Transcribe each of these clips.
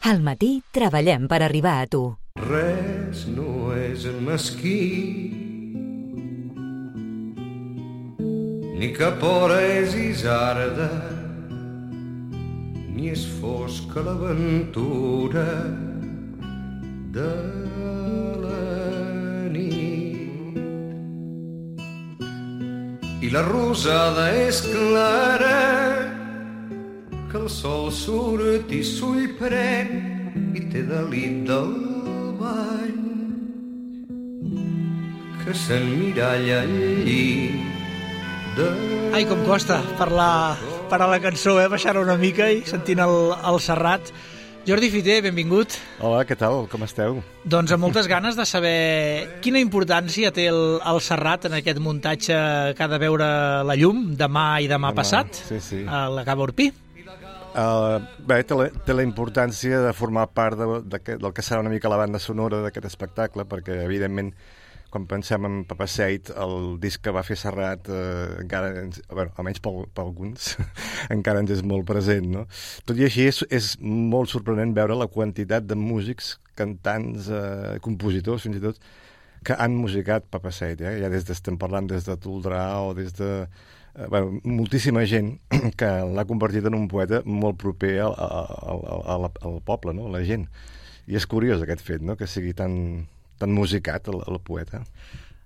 Al matí treballem per arribar a tu. Res no és mesquí, ni cap hora és isarda, ni és fosca l'aventura de la nit. I la rosada és clara, que el sol surt i s'ull pren i té delit del bany, que s'emmiralla al llit de... Ai, com costa parar la cançó, baixar una mica i sentint el Serrat. Jordi Fiter, benvingut. Hola, què tal? Com esteu? Doncs amb moltes ganes de saber quina importància té el Serrat en aquest muntatge que ha de veure la llum demà i demà passat, sí. a la Cava Orpí. Bé, té la importància de formar part del que serà una mica la banda sonora d'aquest espectacle, perquè, evidentment, quan pensem en Papaseit, el disc que va fer Serrat, encara, almenys per alguns, encara ens és molt present, no? Tot i així, és molt sorprenent veure la quantitat de músics, cantants, compositors, fins i tot, que han musicat Papaseit, ja estem parlant des de Toldrà o des de... moltíssima gent que l'ha convertit en un poeta molt proper al poble, no? La gent. I és curiós aquest fet, no? Que sigui tan musicat el poeta.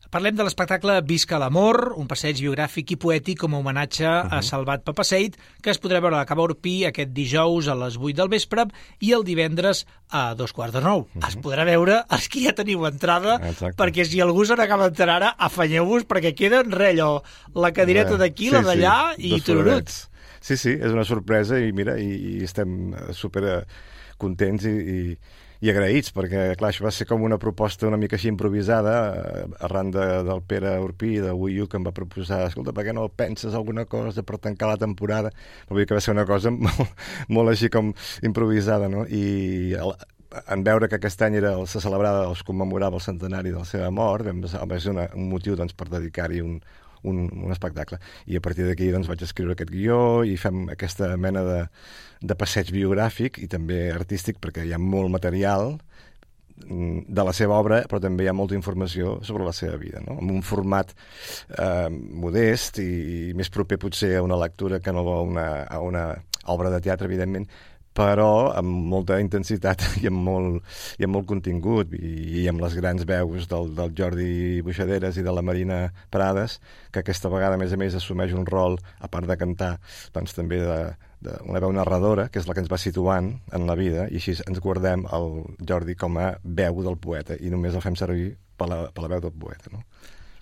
Parlem de l'espectacle Visca l'amor, un passeig biogràfic i poètic com a homenatge a Salvat Papaseit, que es podrà veure a la Cava Orpí aquest dijous a les 8 del vespre i el divendres a 8:45. Es podrà veure els que ja teniu entrada. Exacte. Perquè si algú se n'acaba d'entrar ara, afanyeu-vos, perquè queda allò, la cadireta d'aquí, la d'allà i tururuts. Sí, és una sorpresa i mira, i estem super contents i agraïts, perquè, clar, això va ser com una proposta una mica així improvisada, arran del Pere Orpí, de Uiu, que em va proposar, escolta, per què no penses alguna cosa per tancar la temporada? Vull dir que va ser una cosa molt així com improvisada, no? I en veure que aquest any se celebrava, es commemorava el centenari de la seva mort, va ser un motiu doncs, per dedicar-hi un espectacle. I a partir d'aquí doncs, vaig escriure aquest guió i fem aquesta mena de passeig biogràfic i també artístic, perquè hi ha molt material de la seva obra, però també hi ha molta informació sobre la seva vida, no? Amb un format modest i més proper potser a una lectura que no a una obra de teatre, evidentment, però amb molta intensitat i amb molt contingut i amb les grans veus del Jordi Buixaderes i de la Marina Prades, que aquesta vegada, a més, assumeix un rol, a part de cantar, doncs també una veu narradora, que és la que ens va situant en la vida, i així ens guardem el Jordi com a veu del poeta i només el fem servir per la veu del poeta, no?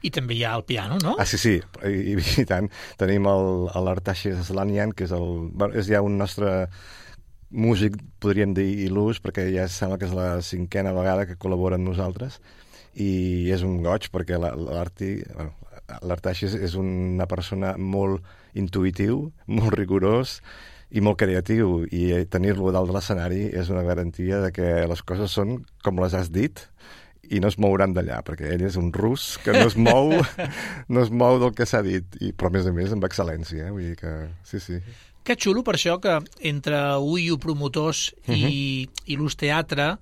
I també hi ha el piano, no? Ah, sí, i tant. Tenim l'Artaxis Aslanian, que és ja un nostre músic, podríem dir, il·lus, perquè ja sembla que és la 5a vegada que col·labora amb nosaltres, i és un goig, perquè l'Artaxis és una persona molt intuïtiu, molt rigorós i molt creatiu, i tenir-lo dalt de l'escenari és una garantia de que les coses són com les has dit i no es mouran d'allà, perquè ell és un rus que no es mou del que s'ha dit, però a més amb excel·lència, vull dir que sí. Que xulo per això que entre Uiu promotors i l'Ús Teatre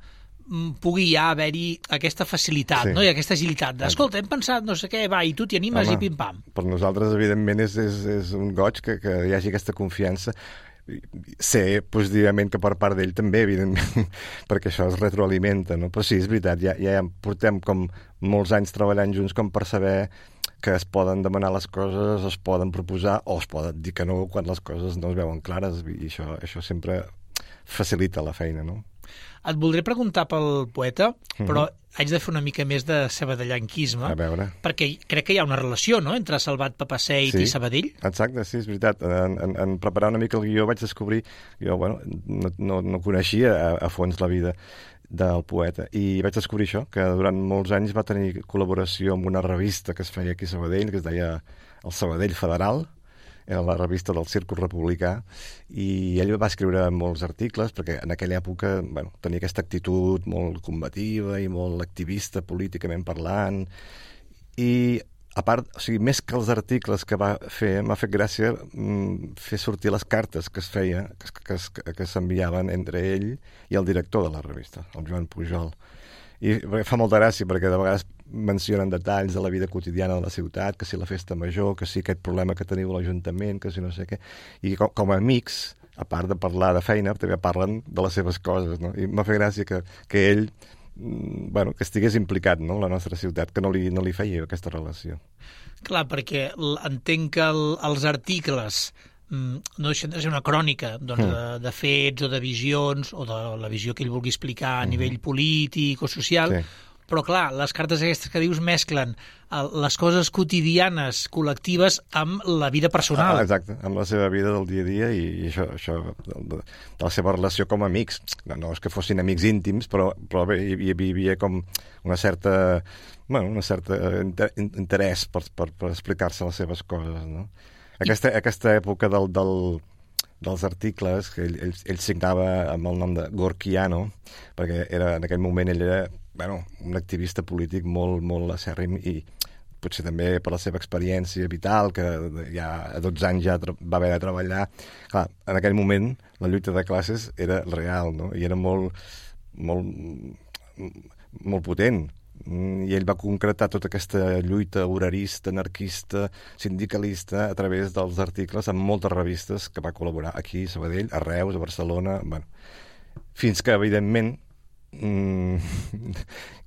pugui ja haver-hi aquesta facilitat, no? I aquesta agilitat d'escolta, hem pensat no sé què, va, i tu t'hi animes. Home, i pim-pam. Per nosaltres, evidentment, és un goig que hi hagi aquesta confiança. Sé positivament que per part d'ell també, evidentment, perquè això es retroalimenta, no? Però sí, és veritat, ja portem com molts anys treballant junts com per saber que es poden demanar les coses, es poden proposar o es poden dir que no quan les coses no es veuen clares, i això sempre facilita la feina, no? Et voldré preguntar pel poeta, però haig de fer una mica més de sabadellanquisme. A veure. Perquè crec que hi ha una relació, no?, entre Salvat Papaseit i Sabadell. Exacte, sí, és veritat. En preparar una mica el guió vaig descobrir... Jo, no coneixia a fons la vida del poeta, i vaig descobrir això, que durant molts anys va tenir col·laboració amb una revista que es feia aquí a Sabadell, que es deia El Sabadell Federal, era la revista del Círcul Republicà, i ell va escriure molts articles, perquè en aquella època tenia aquesta actitud molt combativa i molt activista políticament parlant, i a part, o sigui, més que els articles que va fer, m'ha fet gràcia fer sortir les cartes que es feia, que s'enviaven entre ell i el director de la revista, el Joan Pujol. I fa molta gràcia perquè de vegades mencionen detalls de la vida quotidiana de la ciutat, que si la festa major, que si aquest problema que teniu a l'Ajuntament, que si no sé què. I com a amics, a part de parlar de feina, també parlen de les seves coses, no? I m'ha fet gràcia que ell que estigués implicat, no?, en la nostra ciutat, que no li feia aquesta relació. Clar, perquè entenc que els articles no deixen de ser una crònica de fets o de visions o de la visió que ell vulgui explicar a nivell polític o social, però clar, les cartes aquestes que dius mesclen les coses quotidianes, col·lectives, amb la vida personal. Exacte, amb la seva vida del dia a dia i això de la seva relació com a amics. No és que fossin amics íntims, però bé, hi havia com una certa interès per explicar-se les seves coses, no? Aquesta època dels articles, que ell signava amb el nom de Gorkiano, perquè en aquell moment ell era un activista polític molt acèrrim i potser també per la seva experiència vital, que ja a 12 anys ja va haver de treballar. Clar, en aquell moment la lluita de classes era real, no? I era molt potent. I ell va concretar tota aquesta lluita horarista, anarquista, sindicalista a través dels articles en moltes revistes que va col·laborar aquí, a Sabadell, a Reus, a Barcelona, fins que, evidentment,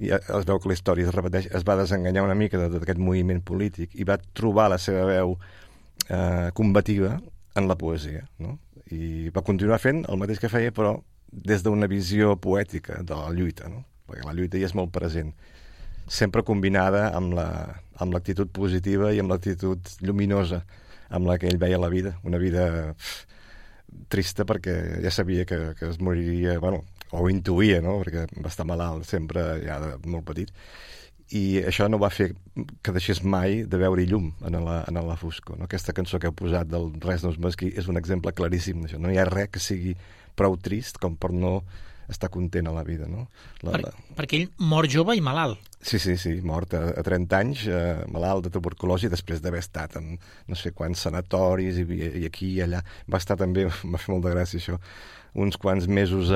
ja es veu que la història es repeteix, es va desenganyar una mica d'aquest moviment polític i va trobar la seva veu combativa en la poesia, no? I va continuar fent el mateix que feia, però des d'una visió poètica de la lluita, no? Perquè la lluita hi és molt present, sempre combinada amb l'actitud positiva i amb l'actitud lluminosa amb la que ell veia la vida, una vida trista perquè ja sabia que es moriria, o intuïa, no?, perquè va estar malalt sempre ja de molt petit, i això no va fer que deixés mai de veure llum en la foscor, no? Aquesta cançó que heu posat del Res no és mesquí és un exemple claríssim d'això. No hi ha res que sigui prou trist com per no estar content a la vida, no? Perquè ell mor jove i malalt. Sí, mort a 30 anys, malalt de tuberculosi, després d'haver estat en no sé quants sanatoris i aquí i allà. Va estar també, m'ha fet molta gràcia això, uns quants mesos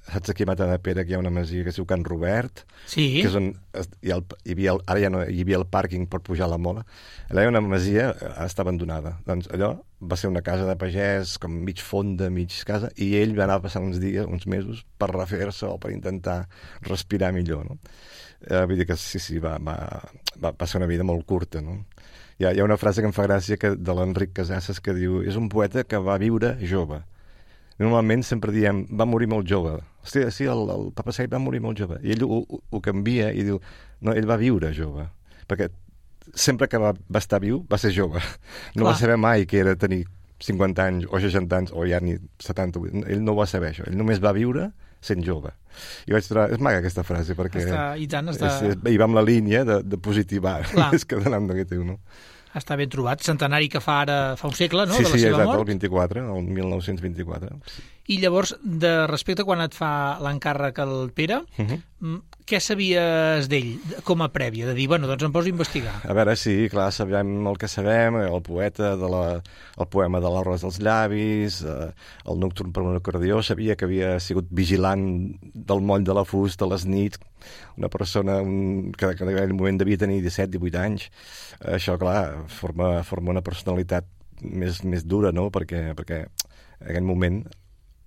saps aquí a Matadepera que hi ha una masia que es diu Can Robert, sí, que és on ara ja no hi havia el pàrquing per pujar a la mola. Allà hi ha una masia, està abandonada. Doncs allò va ser una casa de pagès, com mig fonda, mig casa, i ell va anar a passar uns dies, uns mesos, per refer-se o per intentar respirar millor, no? Vull dir que sí, va ser una vida molt curta, no? Hi ha una frase que em fa gràcia de l'Enric Casasses que diu: és un poeta que va viure jove. Normalment sempre diem, va morir molt jove. Hòstia, sí, el Papa Seid va morir molt jove. I ell ho canvia i diu, no, ell va viure jove. Perquè sempre que va estar viu, va ser jove. No va saber mai que era tenir 50 anys o 60 anys o ja ni 70. Ell no ho va saber, això. Ell només va viure sent jove. I vaig trobar... És maca aquesta frase, perquè... I va amb la línia de positivar, més que d'anar amb negatiu, no? Està ben trobat. Centenari que fa un segle, no?, sí, de la seva mort. El 24, el 1924. Sí. I llavors, de respecte quan et fa l'encàrrec el Pere, què sabies d'ell com a prèvia? De dir, doncs em poso a investigar. A veure, sí, clar, sabem el que sabem, el poeta, el poema de l'Arròs dels llavis, el Nocturn per un acordió, sabia que havia sigut vigilant del moll de la fusta a les nits, una persona que en aquell moment devia tenir 17-18 anys. Això, clar, forma una personalitat més dura, no?, perquè en aquell moment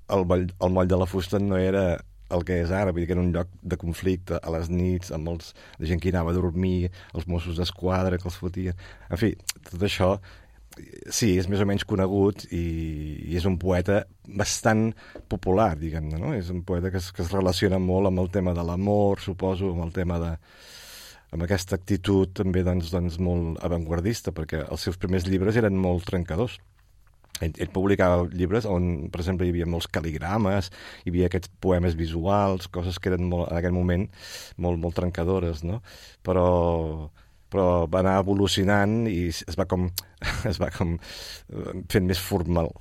el moll de la fusta no era el que és ara, vull dir que era un lloc de conflicte a les nits, amb la gent que hi anava a dormir, els Mossos d'Esquadra que els fotien... En fi, tot això, sí, és més o menys conegut i és un poeta bastant popular, diguem-ne, no? És un poeta que es relaciona molt amb el tema de l'amor, suposo, amb el tema amb aquesta actitud també doncs molt avantguardista, perquè els seus primers llibres eren molt trencadors. Ell publicava llibres on, per exemple, hi havia molts cal·ligrames, hi havia aquests poemes visuals, coses que eren en aquell moment molt trencadores, no? Però va anar evolucionant i es va com fent més formal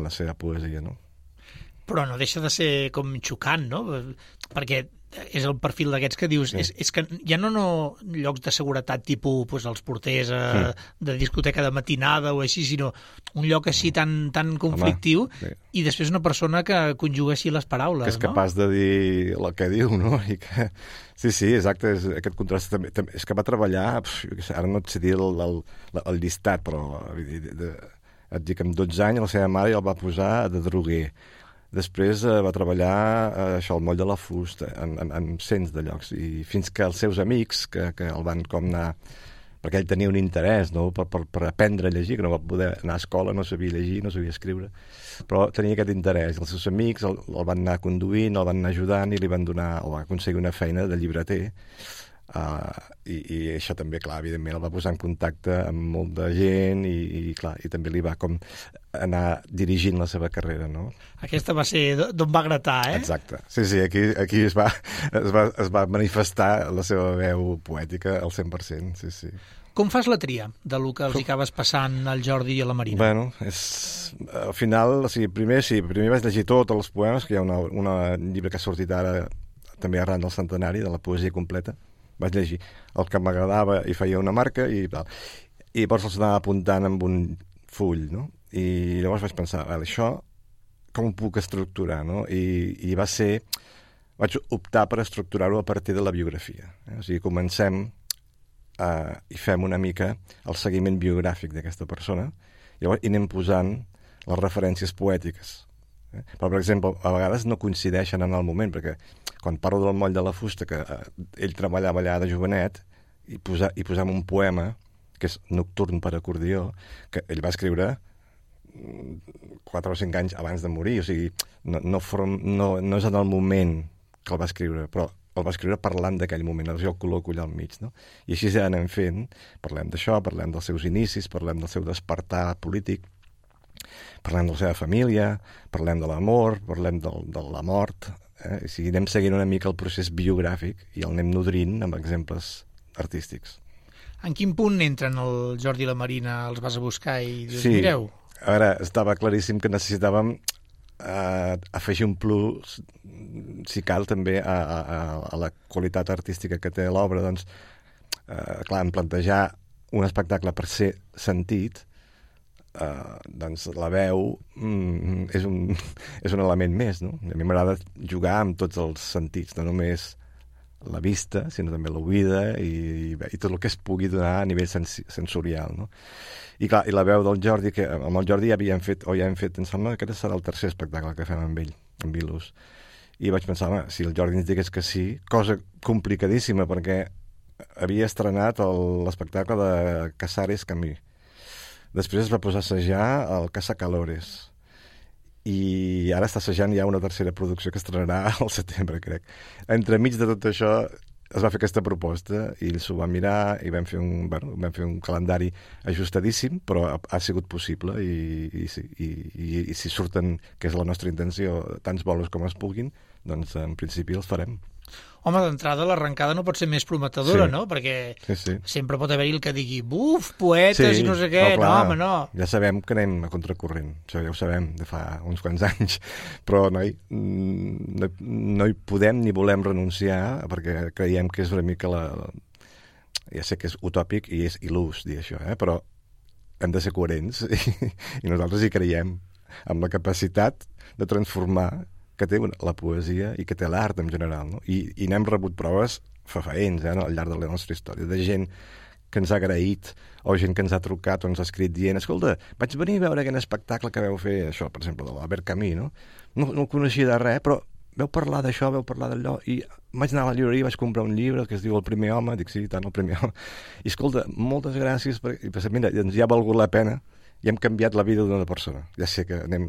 la seva poesia, no? Però no deixa de ser com xocant, no? Perquè és el perfil d'aquests que dius, és que ja no llocs de seguretat tipus pues, els porters de discoteca de matinada o així, sinó un lloc així tan conflictiu. I després una persona que conjuga així les paraules, que és capaç de dir el que diu, no? I que... Sí, exacte, aquest contrast també. És que va treballar, ara no et sé dir el llistat, però et dic que amb 12 anys la seva mare ja el va posar de droguer. Després va treballar al moll de la fusta, en cents de llocs, i fins que els seus amics, que el van com anar... perquè ell tenia un interès, no?, per aprendre a llegir, que no va poder anar a escola, no sabia llegir, no sabia escriure, però tenia aquest interès. Els seus amics el van anar conduint, el van anar ajudant i li van donar, o va aconseguir una feina de llibreter, i això també, clar, evidentment el va posar en contacte amb molta gent i clar, i també li va com anar dirigint la seva carrera, no? Aquesta va ser d'on va gratar, eh? Exacte. Sí, aquí es va manifestar la seva veu poètica al 100%, sí. Com fas la tria de lo que els acabes passant al Jordi i a la Marina? Bueno, al final, primer vaig llegir tots els poemes, que hi ha un llibre que ha sortit ara també arran del centenari, de la poesia completa. Vaig llegir el que m'agradava i feia una marca i tal. I llavors els anava apuntant amb un full, no? I llavors vaig pensar, això com ho puc estructurar, no? I vaig optar per estructurar-ho a partir de la biografia. O sigui, comencem i fem una mica el seguiment biogràfic d'aquesta persona i anem posant les referències poètiques. Però, per exemple, a vegades no coincideixen en el moment, perquè quan parlo del moll de la fusta, que ell treballava allà de jovenet, i posam un poema, que és Nocturn per acordió, que ell va escriure 4 o 5 anys abans de morir, o sigui, no és en el moment que el va escriure, però el va escriure parlant d'aquell moment, jo el col·loco allà al mig, no? I així ja anem fent, parlem d'això, parlem dels seus inicis, parlem del seu despertar polític, parlem de la seva família, parlem de l'amor, parlem de la mort, o sigui, anem seguint una mica el procés biogràfic i el anem nodrint amb exemples artístics. En quin punt entren el Jordi i la Marina, els vas a buscar i dius, mireu? Ara, estava claríssim que necessitàvem afegir un plus, si cal, també a la qualitat artística que té l'obra. Doncs, clar, en plantejar un espectacle per ser sentit, doncs la veu és un element més, no? A mi m'agrada jugar amb tots els sentits, no només la vista, sinó també l'oïda i tot el que es pugui donar a nivell sensorial, no? I clar, i la veu del Jordi, que amb el Jordi ja hem fet, em sembla que aquest serà el tercer espectacle que fem amb ell, amb Vilus. I vaig pensar, si el Jordi ens digués que sí, cosa complicadíssima, perquè havia estrenat l'espectacle de Casares Camus. Després es va posar a assajar el Caçacalores. I ara està assajant ja una tercera producció que estrenarà al setembre, crec. Entremig de tot això es va fer aquesta proposta i s'ho va mirar i vam fer un calendari ajustadíssim, però ha sigut possible i si surten, que és la nostra intenció, tants bolos com es puguin, doncs en principi els farem. Home, d'entrada l'arrencada no pot ser més prometedora, no? Perquè sempre pot haver-hi el que digui buf, poetes i no sé què. No, home, no. Ja sabem que anem a contracorrent. Això ja ho sabem de fa uns quants anys. Però, no hi podem ni volem renunciar perquè creiem que és una mica ja sé que és utòpic i és il·lús dir això, però hem de ser coherents i nosaltres hi creiem amb la capacitat de transformar que té la poesia i que té l'art en general, no? I n'hem rebut proves fefaents al llarg de la nostra història, de gent que ens ha agraït o gent que ens ha trucat o ens ha escrit dient, escolta, vaig venir a veure aquell espectacle que vau fer, això, per exemple, de l'Albert Camus, no? No coneixia de res, però vau parlar d'això, vau parlar d'allò, i vaig anar a la llibreria i vaig comprar un llibre que es diu El primer home, dic, sí, tant, El primer home. I escolta, moltes gràcies, i pensé, mira, ja ha valgut la pena i hem canviat la vida d'una persona. Ja sé que anem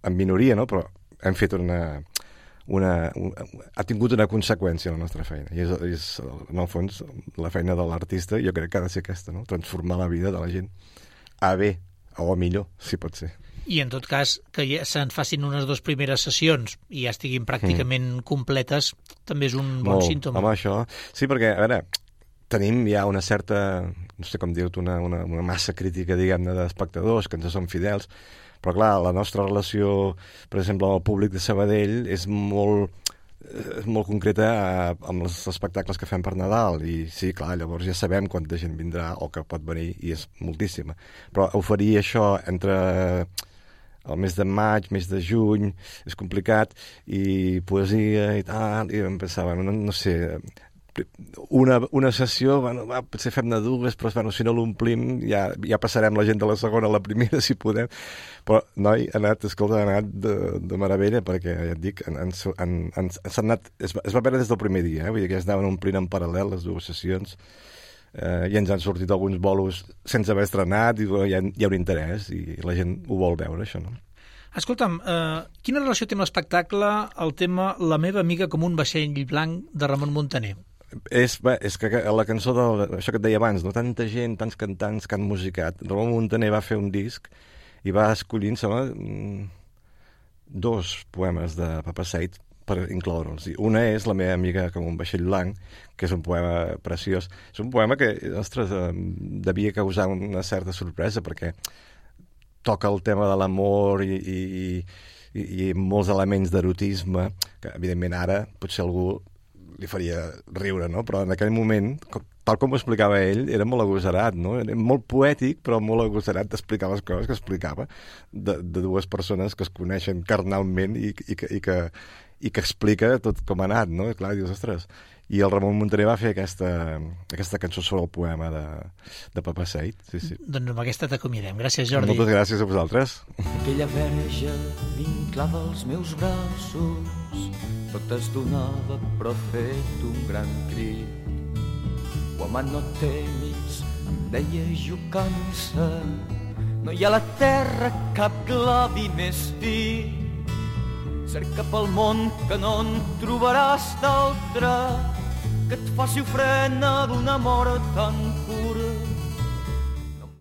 en minoria, no?, però hem fet ha tingut una conseqüència a la nostra feina. I és, en el fons, la feina de l'artista, jo crec que ha de ser aquesta, no? Transformar la vida de la gent a bé, o a millor, si pot ser. I en tot cas, que ja se'n facin unes 2 primeres sessions i ja estiguin pràcticament completes, també és un bon símptoma. Home, això... Sí, perquè, a veure, tenim ja una certa, no sé com dir-ho, una massa crítica, diguem-ne, d'espectadors que ens són fidels. Però, clar, la nostra relació, per exemple, amb el públic de Sabadell és molt molt concreta amb els espectacles que fem per Nadal, i sí, clar, llavors ja sabem quanta gent vindrà o que pot venir, i és moltíssima. Però oferir això entre el mes de maig, mes de juny, és complicat, i poesia i tal, i em pensava, no sé, una sessió, bueno, potser fem-ne dues, però bueno, si no l'omplim ja passarem la gent de la segona a la primera, si podem. Però, noi, ha anat de meravella, perquè, ja et dic, es va veure des del primer dia, vull dir que es anaven omplint en paral·lel les dues sessions, i ens han sortit alguns bolos sense haver estrenat, i hi ha un interès, i la gent ho vol veure, això, no? Escolta'm, quina relació té amb l'espectacle el tema La meva amiga com un vaixell blanc de Ramon Muntaner? És que la cançó això que et deia abans, no? Tanta gent, tants cantants que han musicat. Ramon Muntaner va fer un disc i va escollir, sembla, 2 poemes de Papaseit per incloure'ls. Una és La meva amiga com un vaixell blanc, que és un poema preciós. És un poema que, ostres, devia causar una certa sorpresa, perquè toca el tema de l'amor i molts elements d'erotisme, que evidentment ara potser algú li faria riure, no? Però en aquell moment, tal com ho explicava ell, era molt agosarat, no? Era molt poètic, però molt agosarat d'explicar les coses que explicava de 2 persones que es coneixen carnalment i que explica tot com ha anat, no? I clar, dius, ostres... I el Ramon Muntaner va fer aquesta cançó sobre el poema de Papaseit. Sí. Doncs amb aquesta t'acomiadem. Gràcies, Jordi. Moltes gràcies a vosaltres. Aquella verge vinclada als meus braços, tot es donava però fet un gran crit. Home, no temis, em deia jocant-se, no hi ha a la terra cap glavi més fi. Cerca pel món que no en trobaràs d'altre, que et faci ofrena d'un amor tan